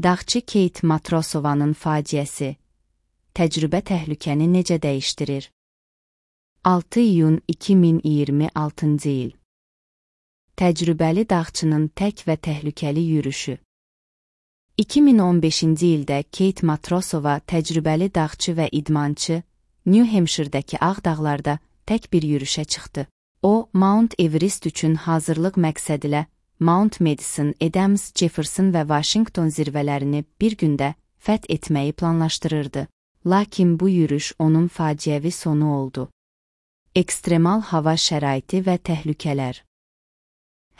Dağçı Kate Matrosovanın faciəsi. Təcrübə təhlükəni necə dəyişdirir? 6 iyun 2026-cı il. Təcrübəli dağçının tək və təhlükəli yürüşü. 2015-ci ildə Kate Matrosova təcrübəli dağçı və idmançı New Hampshire'dəki Ağ dağlarda tək bir yürüşə çıxdı. O, Mount Everest üçün hazırlıq məqsədilə Mount Madison, Adams, Jefferson və Washington zirvələrini bir gündə fəth etməyi planlaşdırırdı. Lakin bu yürüş onun faciəvi sonu oldu. Ekstremal hava şəraiti və təhlükələr.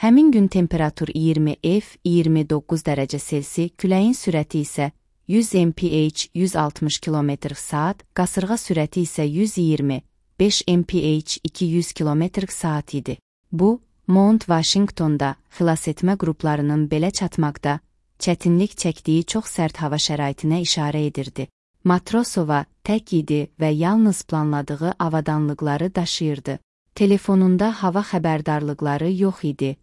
Həmin gün temperatur 20 F-29 dərəcə Selsi, küləyin sürəti isə 100 mph 160 km/saat, qasırğa sürəti isə 125 mph 200 km/saat idi. Bu, Mount Washingtonda xilasetmə qruplarının belə çatmaqda çətinlik çəkdiyi çox sərt hava şəraitinə işarə edirdi. Matrosova tək idi və yalnız planladığı avadanlıqları daşıyırdı. Telefonunda hava xəbərdarlıqları yox idi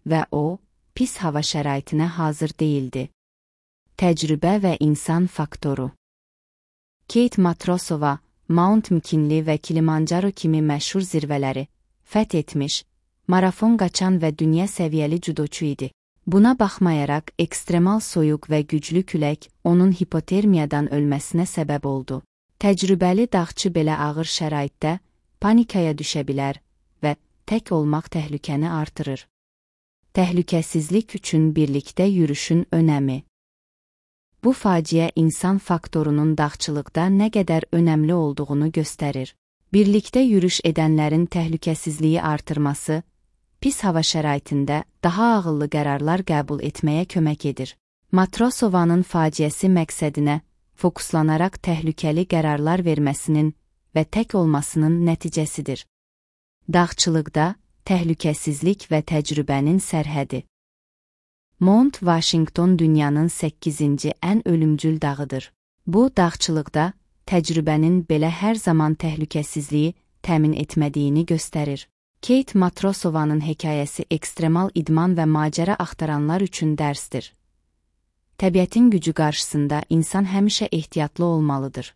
və o, pis hava şəraitinə hazır değildi. Təcrübə və insan faktoru. Kate Matrosova, Mount McKinley və Kilimanjaro kimi məşhur zirvələri fəth etmiş, marafon qaçan və dünya səviyyəli judoçu idi. Buna baxmayaraq, ekstremal soyuq və güclü külək onun hipotermiyadan ölməsinə səbəb oldu. Təcrübəli dağçı belə ağır şəraitdə panikaya düşə bilər və tək olmaq təhlükəni artırır. Təhlükəsizlik üçün birlikdə yürüşün önəmi. Bu faciə insan faktorunun dağçılıqda nə qədər önəmli olduğunu göstərir. Birlikdə yürüş edənlərin təhlükəsizliyi artırması, pis hava şəraitində daha ağıllı qərarlar qəbul etməyə kömək edir. Matrosovanın faciəsi məqsədinə fokuslanaraq təhlükəli qərarlar verməsinin və tək olmasının nəticəsidir. Dağçılıqda təhlükəsizlik və təcrübənin sərhədi. Mount Washington dünyanın 8-ci ən ölümcül dağıdır. Bu, dağçılıqda təcrübənin belə hər zaman təhlükəsizliyi təmin etmədiyini göstərir. Kate Matrosovanın hekayəsi ekstremal idman və macəra axtaranlar üçün dərsdir. Təbiətin gücü qarşısında insan həmişə ehtiyatlı olmalıdır.